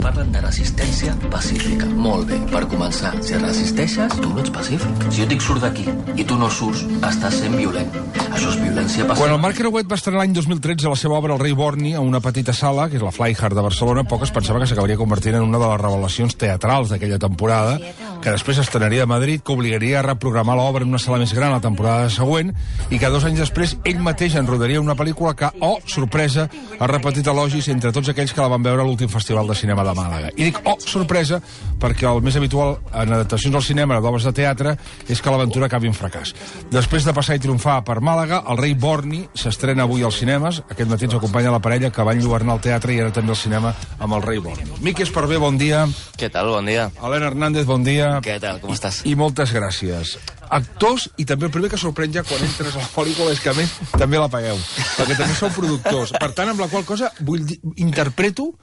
parlen de resistència pacífica. Molt bé, per començar, si resisteixes, tu no ets pacífic. Si jo dic surt d'aquí i tu no surts, estàs sent violent. Això és violència passiva. Quan el Marc Creuet va estrenar l'any 2013 la seva obra El rei Borni a una petita sala, que és la Flyhard de Barcelona, poc es pensava que s'acabaria convertint en una de les revelacions teatrals d'aquella temporada, que després estrenaria a Madrid, que obligaria a reprogramar l'obra en una sala més gran la temporada següent, i que 2 anys després ell mateix en rodaria una pel·lícula que, oh, sorpresa, ha repetit elogis entre tots aquells que la van veure a l'últim Festival de Cinema de Màlaga. I dic, oh, sorpresa, perquè el més habitual en adaptacions al cinema d'obres de teatre és que l'aventura acabi en fracàs. Després de passar i triomfar per Màlaga, El rei Borni s'estrena avui als cinemes. Aquest matí ens acompanya la parella que va enlluernar al teatre i ara també al cinema amb El rei Borni. Miqui Esparvé, bon dia. Què tal? Bon dia. Helena Hernández, bon dia. Què tal? Com estàs? I moltes gràcies. Actors, i també el primer que sorprèn ja quan entres a la pel·lícula és que a més també la pagueu, perquè també sou productors. Per tant, amb la qual cosa interpreto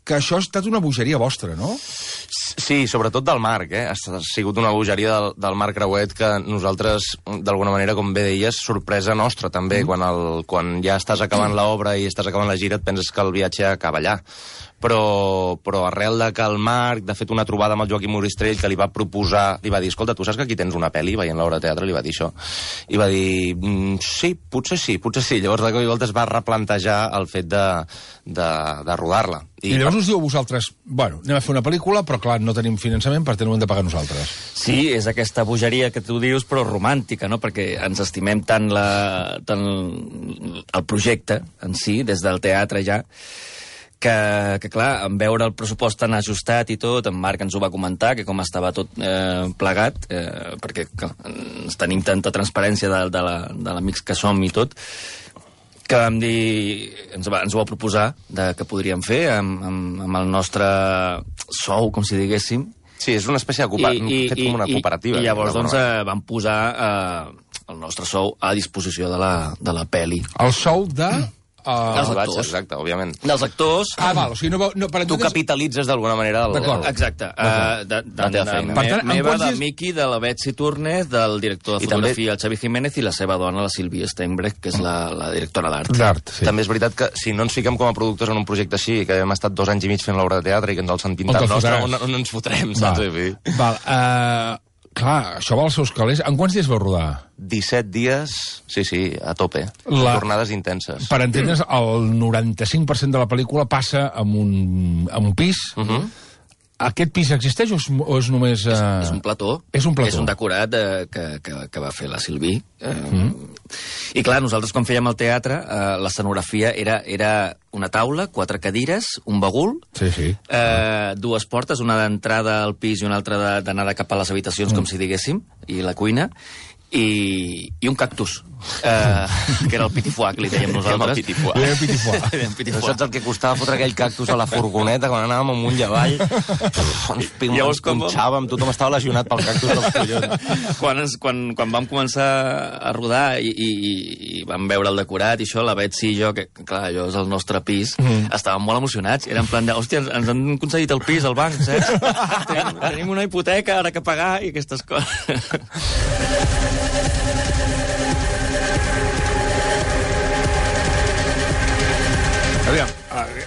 que això ha estat una bogeria vostra, no? Sí, sobretot del Marc, Ha sigut una bogeria del Marc Creuet que nosaltres, d'alguna manera, com bé deies, sorpresa nostra, també. Quan ja estàs acabant l'obra i estàs acabant la gira, et penses que el viatge acaba allà. Però arrel de que el Marc, de fet, una trobada amb el Joaquim Moristrell, que li va proposar, li va dir, escolta, tu saps que aquí tens una pel·li, veient l'obra de teatre, li va dir això. I va dir, sí, potser sí. Llavors, de cop i volta es va replantejar el fet de rodar-la. I llavors us diu a vosaltres, bueno, anem a fer una pel·lícula, però clar, no tenim finançament, per tant ho hem de pagar nosaltres. Sí, és aquesta bogeria que tu dius, però romàntica, no? Perquè ens estimem tant el projecte en si, des del teatre ja, que clar, en veure el pressupost tan ajustat i tot, en Marc ens ho va comentar, que com estava tot plegat, perquè clar, tenim tanta transparència de l'amics que som i tot, que vam dir, ens ho va proposar que podríem fer amb el nostre sou, com si diguéssim. Sí, és una espècie de fet com una cooperativa. I llavors doncs vam posar el nostre sou a disposició de la pel·li. El sou de... dels actors. Exacte, òbviament. Dels actors... val, o sigui, no per tu capitalitzes d'alguna manera exacte. la teva feina. Per tant, meva, del Miqui, de la Betsy Turner, del director de fotografia, el Xavi Jiménez, i la seva dona, la Sílvia Steinbrecht, que és la directora d'art. Sí. També és veritat que si no ens fiquem com a productors en un projecte així, que hem estat 2 anys i mig fent l'obra de teatre i que ens el sentim tan nostre, on ens fotrem, saps? Val, clar, això va als seus calés. En quants dies vau rodar? 17 dies, sí, a tope. Jornades intenses. Per entendre's, el 95% de la pel·lícula passa en un pis. Aquest pis existeix o és només... És un plató. És un plató. És un decorat que va fer la Silví. I clar, nosaltres quan fèiem el teatre, l'escenografia era una taula, 4 cadires, un bagul, 2 portes, una d'entrada al pis i una altra d'anada cap a les habitacions, com si diguéssim, i la cuina, i un cactus, que era el pitifuà, que li dèiem nosaltres. El pitifuà. Saps el que costava fotre aquell cactus a la furgoneta quan anàvem amunt i avall? Ens punxàvem, tothom estava lesionat pel cactus dels collons. Quan vam començar a rodar i vam veure el decorat i això, la Betsy i jo, que clar, allò és el nostre pis, estàvem molt emocionats. Era en plan de, hòstia, ens han concedit el pis al banc, saps? Tenim una hipoteca ara que pagar i aquestes coses. Aviam,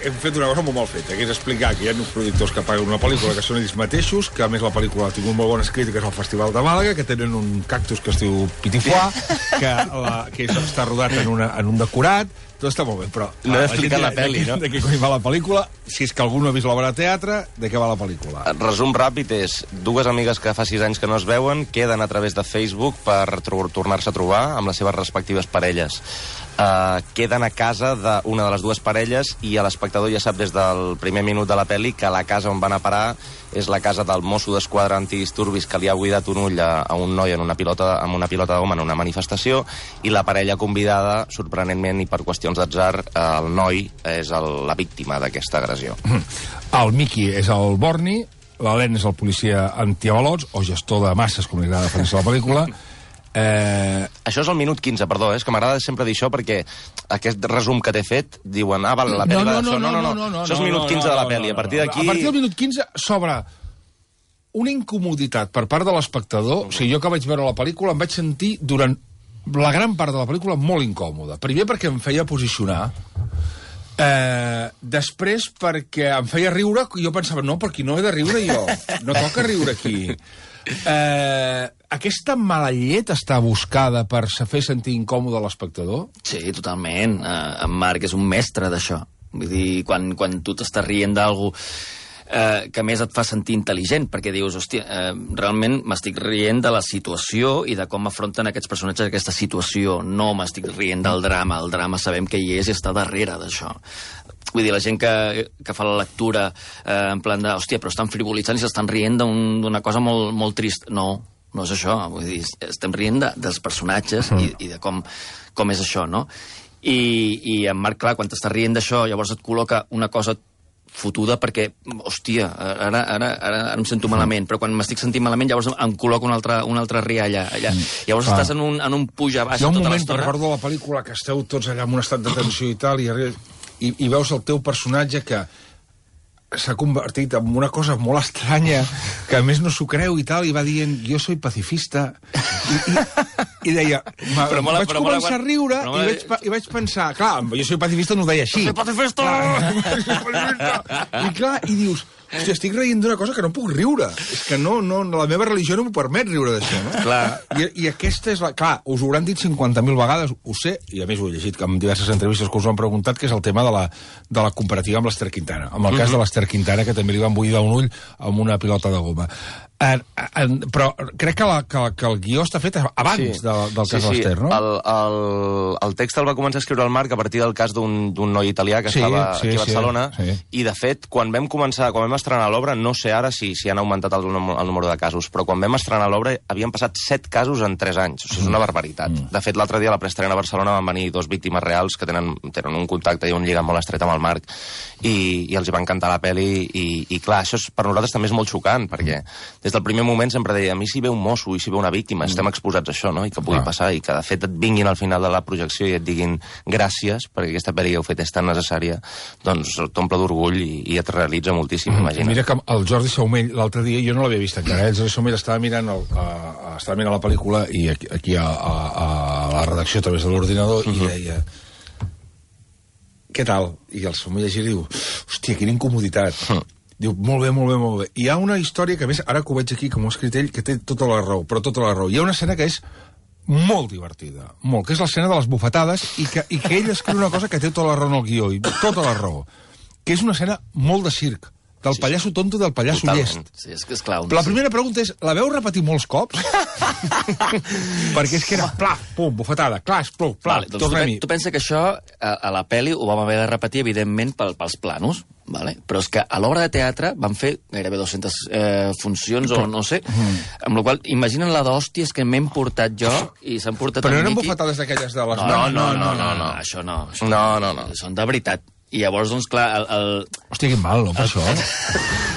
hem fet una cosa molt mal feta, que és explicar que hi ha uns productors que paguen una pel·lícula que són ells mateixos, que a més la pel·lícula ha tingut molt bones crítiques al Festival de Màlaga, que tenen un cactus que es diu Pitifuà, que està rodat en un decorat, tot està molt bé, però... No he explicat la pel·li, no? De què coi va la pel·lícula, si és que algú no ha vist l'obra de teatre, de què va la pel·lícula? El resum ràpid és 2 amigues que fa 6 anys que no es veuen, queden a través de Facebook per tornar-se a trobar amb les seves respectives parelles. Queden a casa d'una de les 2 parelles i l'espectador ja sap des del primer minut de la pel·li que la casa on van a parar és la casa del mosso d'esquadra antidisturbis que li ha buidat un ull a un noi amb una pilota de goma en una manifestació, i la parella convidada, sorprenentment i per qüestions d'atzar, el noi és la víctima d'aquesta agressió. El Miqui és el Borni, l'Helena és el policia antiavalots, o gestor de masses, com li agrada definir-se la pel·lícula. Això és el minut 15, perdó, és que m'agrada sempre dir això perquè aquest resum que t'he fet diuen, val, la pel·li va d'això. No, això és el minut 15 de la pel·li. A partir d'aquí... A partir del minut 15 s'obre una incomoditat per part de l'espectador. O sigui, jo que vaig veure la pel·lícula em vaig sentir durant la gran part de la pel·lícula molt incòmode. Primer perquè em feia posicionar Després, perquè em feia riure, jo pensava, no, per aquí no he de riure jo. No toca riure aquí. Aquesta mala llet està buscada per fer sentir incòmode l'espectador? Sí, totalment. En Marc és un mestre d'això. Vull dir, quan tu t'estàs rient d'algú que més et fa sentir intel·ligent, perquè dius, hòstia, realment m'estic rient de la situació i de com afronten aquests personatges aquesta situació. No m'estic rient del drama. El drama sabem que hi és i està darrere d'això. Vull dir, la gent que fa la lectura en plan de, hòstia, però estan frivolitzant i s'estan rient d'una cosa molt, molt trist. No és això. Vull dir, estem rient dels personatges i de com és això, no? I en Marc, clar, quan t'estàs rient d'això, llavors et col·loca una cosa fotuda perquè, hòstia, ara em sento malament, però quan m'estic sentint malament llavors em col·loco una altra rialla allà. Llavors estàs en un puja-baix tota l'estona. Hi ha un moment, recordo la pel·lícula, que esteu tots allà en un estat de tensió i tal, i veus el teu personatge que s'ha convertit en una cosa molt estranya, que a més no s'ho creu i tal, i va dient, jo soy pacifista, i deia, vaig començar a riure i vaig pensar, clar, jo soy pacifista no ho deia així. Soy pacifista! I clar, i dius, hòstia, estic reient d'una cosa que no puc riure. És que no, la meva religió no m'ho permet riure d'això, no? Clar. I aquesta és la... Clar, us ho hauran dit 50.000 vegades, ho sé, i a més ho he llegit en diverses entrevistes que us ho han preguntat, que és el tema de la comparativa amb l'Ester Quintana. En el cas de l'Ester Quintana, que també li van buidar un ull amb una pilota de goma. Però crec que el guió està fet abans del cas de l'Ester, no? El text el va començar a escriure el Marc a partir del cas d'un noi italià que estava aquí a Barcelona, i de fet, quan vam estrenar l'obra, no sé ara si han augmentat el número de casos, però quan vam estrenar l'obra havien passat 7 casos en 3 anys. O sigui, és una barbaritat. De fet, l'altre dia a la preestrena a Barcelona van venir 2 víctimes reals que tenen un contacte i un lligam molt estret amb el Marc, i els hi va encantar la pel·li, i clar, això per nosaltres també és molt xocant, perquè des del primer moment sempre deia, a mi si ve un mosso i si ve una víctima, estem exposats a això, no? I que pugui passar, i que de fet et vinguin al final de la projecció i et diguin gràcies, perquè aquesta pel·li que heu fet és tan necessària, doncs t'omple d'orgull i et realitza moltíssim, imagina't. Mira que el Jordi Saumell, l'altre dia, jo no l'havia vist encara, el Jordi Saumell estava mirant la pel·lícula i aquí a la redacció a través de l'ordinador i deia, què tal? I el Saumell llegir diu, hòstia, quina incomoditat. Diu, molt bé, molt bé, molt bé. Hi ha una història que, a més, ara que ho veig aquí, com ho ha escrit ell, que té tota la raó, però tota la raó. Hi ha una escena que és molt divertida, molt, que és l'escena de les bufetades, i que ell escriu una cosa que té tota la raó en el guió, i tota la raó, que és una escena molt de circ, del pallasso tonto i del pallasso llest. Sí, és que és clown. La primera pregunta és, la veu repetir molts cops? Perquè és que era plaf, pum, bufetada, clas, pluf, plaf, vale, doncs tu pensa que això a la pel·li ho vam haver de repetir, evidentment, pels planos, vale? Però és que a l'obra de teatre van fer gairebé 200 funcions, o no sé, amb la qual imaginen la d'hòsties que m'he portat jo i s'han portat però no eren bufetades d'aquelles de les... No, això no. No. Són de veritat. I llavors, doncs, clar, Hòstia, quin mal, no, per això.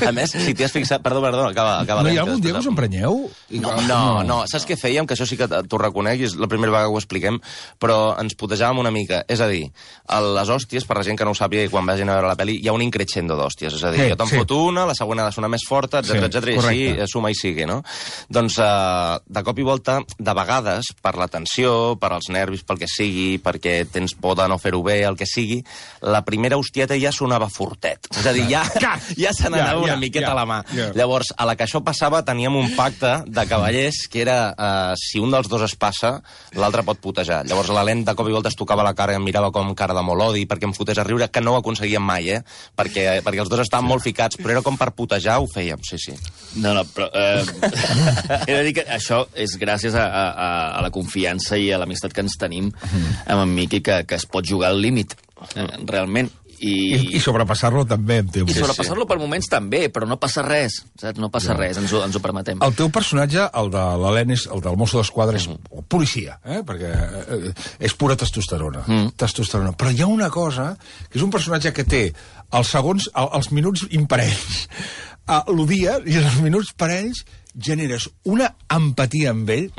A més, si t'hi has fixat... Perdó, acaba. No hi ha algun dia que us emprenyeu? No. Saps què fèiem? Que això sí que t'ho reconec, i és la primera vegada que ho expliquem, però ens putejàvem una mica. És a dir, a les hòsties, per la gent que no ho sàpiga i quan vagin a veure la pel·li, hi ha un increixendo d'hòsties. És a dir, jo te'n foto una, la següent ha de sonar més forta, etc. I així suma i sigue, no? Doncs, de cop i volta, de vegades, per la tensió, per als nervis, pel que sigui, perquè tens por de no fer-ho bé, el que sigui, la primera hostieta ja sonava fortet. És a dir, ja se n'anava una miqueta a la mà. Llavors, a la que això passava, teníem un pacte de cavallers que era, si un dels dos es passa, l'altre pot putejar. Llavors, l'Helene de cop i volta es tocava la cara i em mirava com cara de molt odi perquè em fotés a riure, que no ho aconseguíem mai, perquè els dos estaven molt ficats, però era com per putejar, ho fèiem, sí. No, però... he de dir que això és gràcies a la confiança i a l'amistat que ens tenim amb en Miqui, que es pot jugar al límit, realment. I sobrepassar-lo també, em temo. I sobrepassar-lo per moments també, però no passa res, saps? No passa res, ens ho permetem. El teu personatge, el de l'Helene, el del mosso d'esquadra, és policia, perquè és pura testosterona. Testosterona. Però hi ha una cosa, que és un personatge que té els minuts imparells. L'odia, i els minuts parells generes una empatia amb ell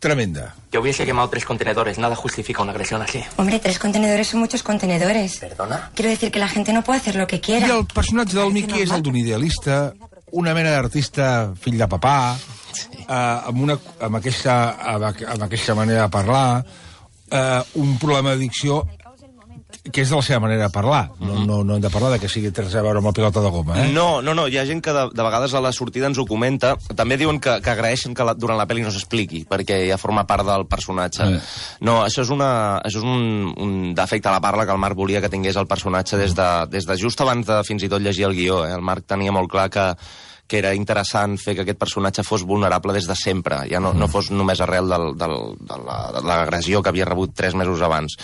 tremenda. Yo hubiese quemado 3 contenedores. Nada justifica una agresión así. Hombre, 3 contenedores son muchos contenedores. ¿Perdona? Quiero decir que la gente no puede hacer lo que quiera. I el personatge del Miqui és el d'un idealista, una mena d'artista fill de papà, amb aquesta manera de parlar, un problema d'addicció que és de la seva manera de parlar. No hem de parlar de que sigui res a veure amb la pilota de goma, eh? No, hi ha gent que de vegades a la sortida ens ho comenta. També diuen que agraeixen que durant la pel·li no s'expliqui, perquè ja forma part del personatge. No, això és un defecte a la parla que el Marc volia que tingués el personatge des de just abans de fins i tot llegir el guió. El Marc tenia molt clar que era interessant fer que aquest personatge fos vulnerable des de sempre, ja no fos només arrel de l'agressió que havia rebut 3 mesos abans.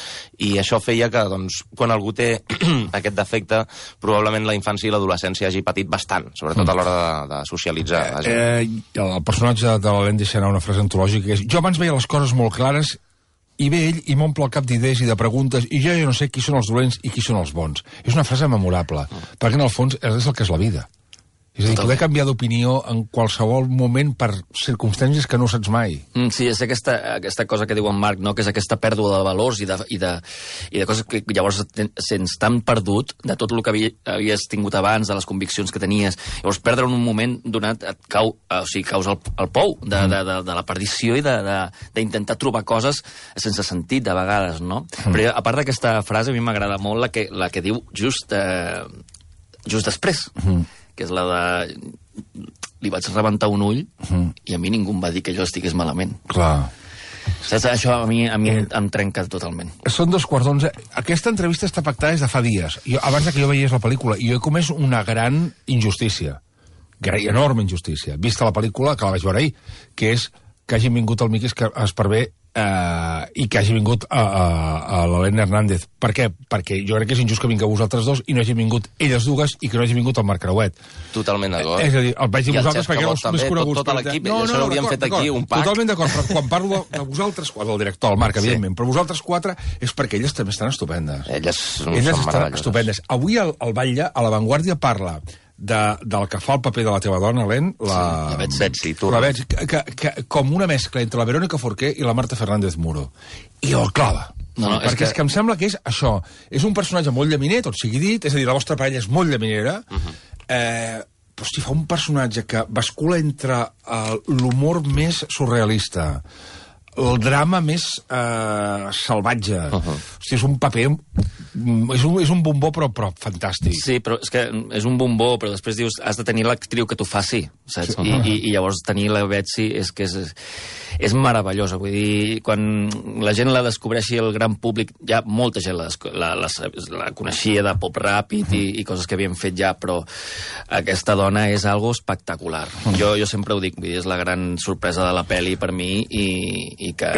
I això feia que, doncs, quan algú té aquest defecte, probablement la infància i l'adolescència hagi patit bastant, sobretot a l'hora de socialitzar. El personatge de l'Helene deixa anar una frase antològica que és: jo abans veia les coses molt clares i ve ell i m'omple el cap d'idees i de preguntes i jo no sé qui són els dolents i qui són els bons. És una frase memorable, perquè en el fons és el que és la vida. És a dir, poder canviar d'opinió en qualsevol moment per circumstàncies que no saps mai. Sí, és aquesta cosa que diu en Marc, no? Que és aquesta pèrdua de valors i de coses que llavors sents tan perdut de tot el que havies tingut abans, de les conviccions que tenies. Llavors, perdre en un moment donat caus al pou de la perdició i d'intentar trobar coses sense sentit, de vegades, no? Però a part d'aquesta frase, a mi m'agrada molt la que diu just després, que és la de... Li vaig rebentar un ull i a mi ningú em va dir que jo estigués malament. Clar. Saps? Això a mi em trenca totalment. Són 2:15. Aquesta entrevista està pactada des de fa dies. Abans que jo veiés la pel·lícula. I jo he comès una gran injustícia. Enorme injustícia. Vista la pel·lícula, que la vaig veure ahir, que és que hagin vingut el Miqui Esparvé i que hagi vingut a l'Helena Hernández. Per què? Perquè jo crec que és injust que vingueu vosaltres dos i no hagin vingut elles dues i que no hagi vingut el Marc Creuet. Totalment d'acord. És a dir, el vaig dir vosaltres perquè éreu els més coneguts. Tot l'equip, això l'hauríem fet aquí, un pack. Totalment d'acord, però quan parlo de vosaltres quatre, el director, el Marc, evidentment, però vosaltres quatre és perquè elles també estan estupendes. Elles estan estupendes. Avui el Batlle, a La Vanguardia, parla del que fa el paper de la teva dona, Helene, la Betsy, com una mescla entre la Verónica Forqué i la Marta Fernández Muro. I el clava. Perquè és que em sembla que és això. És un personatge molt llaminer, tot sigui dit, és a dir, la vostra parella és molt llaminera, però hosti, fa un personatge que bascula entre l'humor més surrealista, el drama més salvatge. Hosti, és un paper... És un bombó, però fantàstic. Sí, però és que és un bombó, però després dius, has de tenir l'actriu que t'ho faci, saps? I llavors tenir la Betsy és que és meravellosa. Vull dir, quan la gent la descobreixi, el gran públic, ja molta gent la coneixia de pop ràpid i coses que havien fet ja, però aquesta dona és algo espectacular. Jo sempre ho dic, vull dir, és la gran sorpresa de la pel·li per mi i que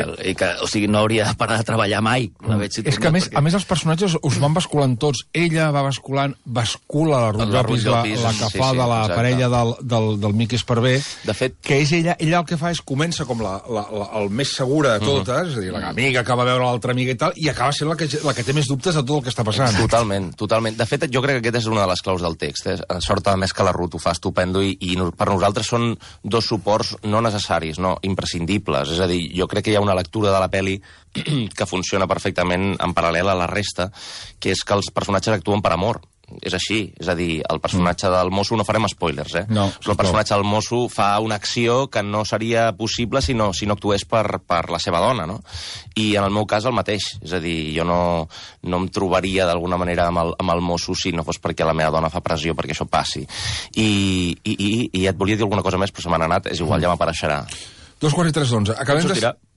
o sigui, no hauria de parar de treballar mai, la Betsy. És que a més els personatges us van basculant tots. Ella va bascula la Ruth Llopis, la que fa de la parella del Miqui Esparvé. De fet, que és ella el que fa és comença com el més segura de totes, és a dir, l'amiga que va veure l'altra amiga i tal, i acaba sent la que té més dubtes de tot el que està passant. Totalment. De fet, jo crec que aquest és una de les claus del text. Sort, a més, que la Ruth ho fa estupendo i per nosaltres són dos suports no necessaris, no imprescindibles. És a dir, jo crec que hi ha una lectura de la pel·li que funciona perfectament en paral·lel a la resta, que és que els personatges actuen per amor. És així, és a dir, el personatge del mosso, no farem spoilers, no, però el personatge del mosso fa una acció que no seria possible si no actués per la seva dona, no? I en el meu cas el mateix, és a dir, jo no em trobaria d'alguna manera amb el mosso si no fos perquè la meva dona fa pressió perquè això passi. I et volia dir alguna cosa més, però se m'han anat, és igual, ja m'apareixerà. 2:43.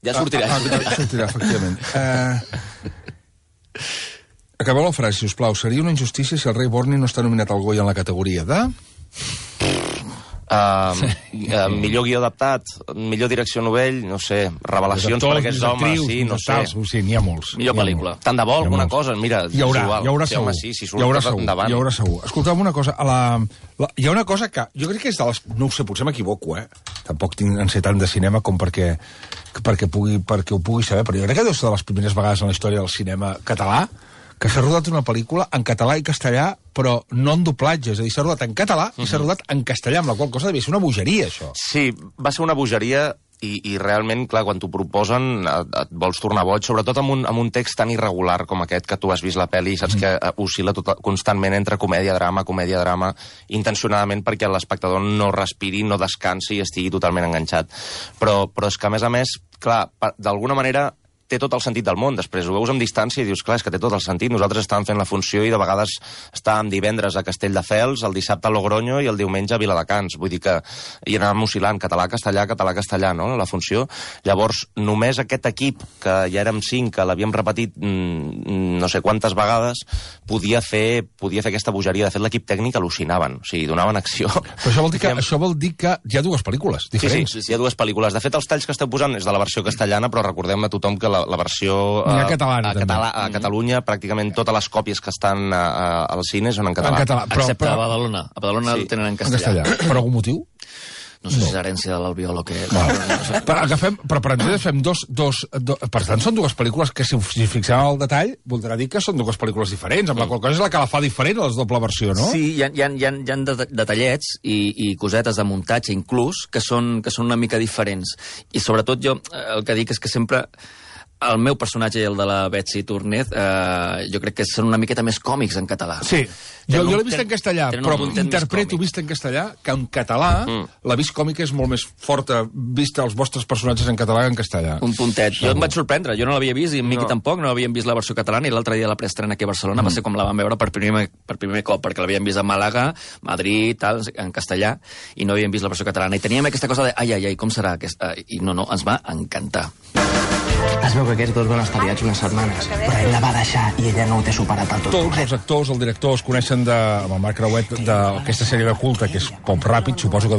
Ja sortirà, efectivament. Acabeu la frase, sisplau. Seria una injustícia si el rei Borni no està nominat al Goya en la categoria de... millor guió adaptat, millor direcció novell, no sé, revelacions per aquests homes, sí, no sé. Sí, n'hi ha molts. Millor pel·lícula. Tant de bo, alguna cosa, mira, hi haurà segur. Si surt endavant. Hi haurà segur. Escolta'm una cosa, hi ha una cosa que jo crec que és de les... No ho sé, potser m'equivoco, Tampoc en sé tant de cinema com perquè ho pugui saber, però jo crec que deu ser de les primeres vegades en la història del cinema català que s'ha rodat una pel·lícula en català i castellà, però no en doblatge. És a dir, s'ha rodat en català i s'ha rodat en castellà, amb la qual cosa devia ser una bogeria, això. Sí, va ser una bogeria i realment, clar, quan t'ho proposen et vols tornar boig, sobretot amb un text tan irregular com aquest que tu has vist la pel·li i saps que oscil·la constantment entre comèdia-drama, intencionadament perquè l'espectador no respiri, no descansi i estigui totalment enganxat. Però és que, a més, clar, d'alguna manera té tot el sentit del món. Després ho veus amb distància i dius, clar, és que té tot el sentit. Nosaltres estàvem fent la funció i de vegades estàvem divendres a Castelldefels, el dissabte a Logroño i el diumenge a Viladecans. Vull dir que hi anàvem oscil·lant català-castellà, no?, la funció. Llavors, només aquest equip, que ja érem 5, que l'havíem repetit no sé quantes vegades, podia fer aquesta bogeria. De fet, l'equip tècnic al·lucinaven, o sigui, donaven acció. Però això vol dir que hi ha dues pel·lícules diferents. Sí, hi ha dues pel·lícules. De fet, els talls que esteu posant és de la versió castellana, però recordem a tothom que la versió catalana, a Catalunya, pràcticament totes les còpies que estan als cines són en català. Excepte a Badalona. A Badalona el tenen en castellà. Per algun motiu? No sé si és herència de l'Albiol o què. Però per entendre's fem dos... Per tant, són dues pel·lícules que, si fixem al detall, voldrà dir que són dues pel·lícules diferents, amb la qual cosa és la que la fa diferent a la doble versió, no? Sí, hi ha detallets i cosetes de muntatge, inclús, que són una mica diferents. I sobretot jo el que dic és que sempre... El meu personatge i el de la Betsy Túrnez, jo crec que són una miqueta més còmics en català. Sí, jo l'he vist en castellà, però interpreto vist en castellà que en català la vist còmica és molt més forta vista els vostres personatges en català que en castellà. Un puntet. Jo em vaig sorprendre, jo no l'havia vist i en Miqui tampoc, no havíem vist la versió catalana i l'altre dia la preestrena aquí a Barcelona va ser com la vam veure per primer cop, perquè l'havíem vist a Màlaga, Madrid, tal, en castellà, i no havíem vist la versió catalana. I teníem aquesta cosa de, ai, com serà aquesta? I no, ens va encantar. Es veu que aquests dos van estar liats unes setmanes, però ell la va deixar i ella no ho té superat del tot. Tots els actors, el director, es coneixen amb el Marc Creuet d'aquesta sèrie de culte, que és Pop Ràpid, suposo que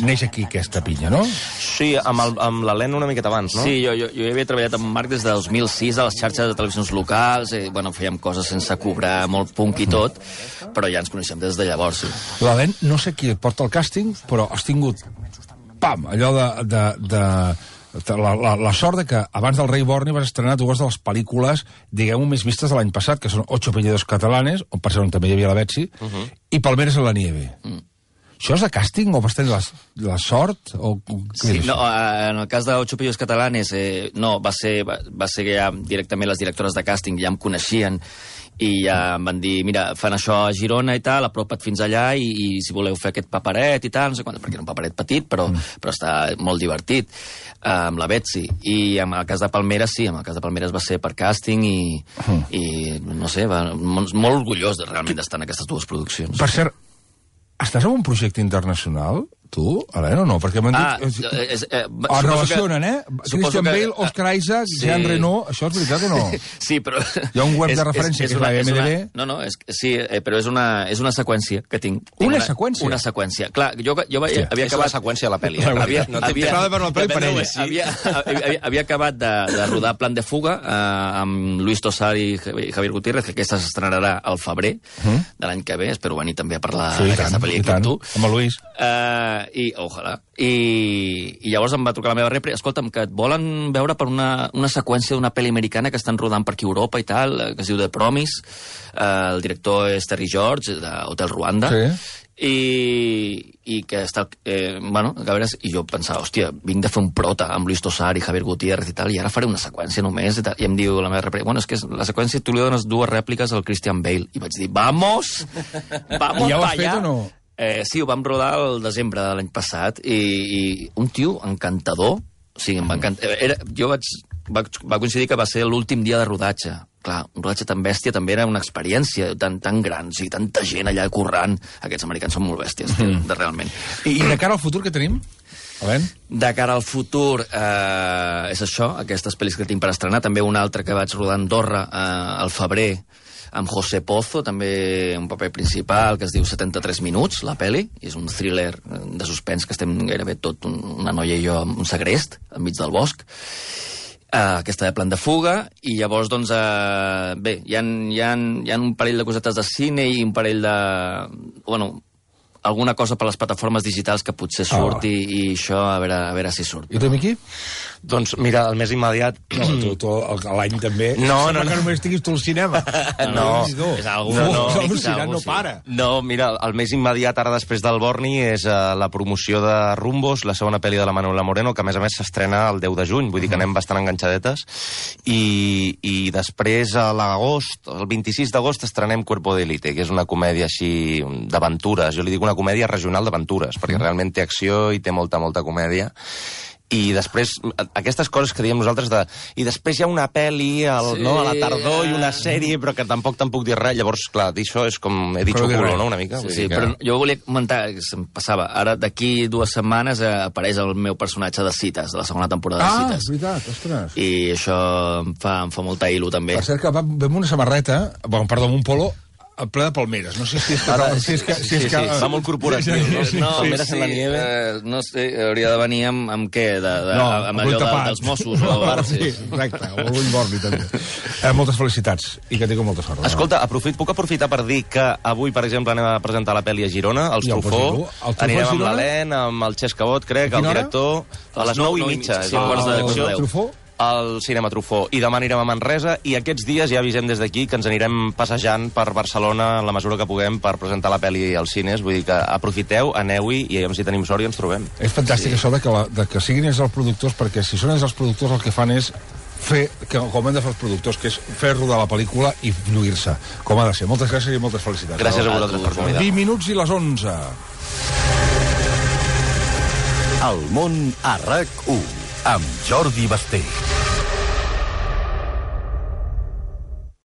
neix aquí aquesta pinya, no? Sí, amb l'Helena una miqueta abans, no? Sí, jo hi havia treballat amb Marc des de 2006 a les xarxes de televisions locals, fèiem coses sense cobrar, molt punk i tot, però ja ens coneixem des de llavors, sí. L'Helena, no sé qui et porta el càsting, però has tingut, allò la sort de que abans del Rei Borni vas estrenar dues de les pel·lícules, diguem-ho, més vistes de l'any passat, que són Ocho apellidos catalanes, on per cert també hi havia la Betsy, i Palmeres en la nieve. Això és de càsting o vas tenir la sort? Sí, no, en el cas de Ocho apellidos catalanes, no, va ser ja directament les directores de càsting, ja em coneixien, i ja em van dir, mira, fan això a Girona i tal, apropa't fins allà i si voleu fer aquest paperet i tal, no sé quant, perquè era un paperet petit, però està molt divertit, amb la Betsy. I en el cas de Palmeres, sí, en el cas de Palmeres va ser per càsting i no sé, molt orgullós realment d'estar en aquestes dues produccions. Per cert, estàs en un projecte internacional, tu, Helena, o no? Perquè m'han dit... Es relacionen, Christian Bale, Oscar Isaac, Jean Reno, això és veritat o no? Sí, però... Hi ha un web de referència que és la IMDb. No, sí, però és una seqüència que tinc. Una seqüència? Una seqüència. Clar, jo havia acabat... És la seqüència de la pel·li. Havia acabat de rodar Plan de fuga amb Luis Tosar i Javier Gutiérrez, que aquesta s'estrenarà al febrer de l'any que ve. Espero venir també a parlar d'aquesta pel·li amb tu. Amb el Luis. Ojalà. I llavors em va trucar la meva repre, escolta'm, que et volen veure per una seqüència d'una pel·li americana que estan rodant per aquí a Europa i tal, que es diu The Promise. El director és Terry George, d'Hotel Ruanda. I que està... a veure, i jo pensava, hòstia, vinc de fer un prota amb Luis Tosar i Javier Gutiérrez i tal, i ara faré una seqüència només, i em diu la meva repre, bueno, és que la seqüència tu li dones dues rèpliques al Christian Bale. I vaig dir, vamos ja ho has fet o no? Sí, ho vam rodar el desembre de l'any passat i un tio encantador, o sigui, em va encantar. Va coincidir que va ser l'últim dia de rodatge. Clar, un rodatge tan bèstia també era una experiència tan gran, o sigui, tanta gent allà currant. Aquests americans són molt bèsties, realment. I de cara al futur què tenim? De cara al futur, és això, aquestes pel·lis que tinc per estrenar. També una altra que vaig rodar a Andorra al febrer, amb José Pozo, també un paper principal, que es diu 73 minuts, la pel·li, i és un thriller de suspens que estem gairebé tot, una noia i jo, amb un segrest, enmig del bosc, aquesta de Plan de fuga, i llavors, doncs, bé, hi ha un parell de cosetes de cine i un parell de... Bueno, alguna cosa per les plataformes digitals que potser surt i això, a veure si surt. I tu, Miqui? Doncs mira, el més immediat... No, tu l'any també... No. Que només estiguis tu al cinema. No. És algú... No para. No, mira, el més immediat ara després del Borni és la promoció de Rumbos, la segona pel·li de la Manuela Moreno, que a més s'estrena el 10 de juny, vull dir que anem bastant enganxadetes. I després, a l'agost, el 26 d'agost, estrenem Cuerpo de Élite, que és una comèdia així d'aventures. Jo li dic una comèdia regional d'aventures, perquè realment té acció i té molta comèdia. I després, aquestes coses que diem nosaltres i després hi ha una pel·li a la tardor i una sèrie, però que tampoc te'n puc dir res. Llavors, clar, dir això és com he dit culo, no?, una mica. Sí, però jo volia comentar, que se'm passava, ara d'aquí 2 setmanes apareix el meu personatge de Cites, de la segona temporada de Cites. És veritat, ostres. I això em fa molta il·lu, també. Per cert que vam una samarreta, perdó, amb un polo, ple de palmeres. No sé si és que... Sí, va molt corporatiu, no? No, Palmeres en la nieve. No sé, hauria de venir amb què? Amb allò dels Mossos. Sí, exacte, o l'ull borni, també. Moltes felicitats i que tingueu molta sort. Escolta, puc aprofitar per dir que avui, per exemple, anem a presentar la pel·li a Girona, els Truffaut. Anirem amb l'Helene, amb el Xesc Cabot, crec, el director, a les 9:30. Sí, quarts de 10. Al Cinema Truffaut. I demà anirem a Manresa i aquests dies ja avisem des d'aquí que ens anirem passejant per Barcelona en la mesura que puguem per presentar la pel·li als cines. Vull dir que aprofiteu, aneu-hi i si tenim sort i ens trobem. És fantàstic això de que siguin ells els productors, perquè si són ells els productors el que fan és fer, com hem de fer els productors, que és fer rodar la pel·lícula i lluir-se, com ha de ser. Moltes gràcies i moltes felicitats. Gràcies a vosaltres per convidar. 20 minuts i les 11. El món a RAC1 amb Jordi Basté.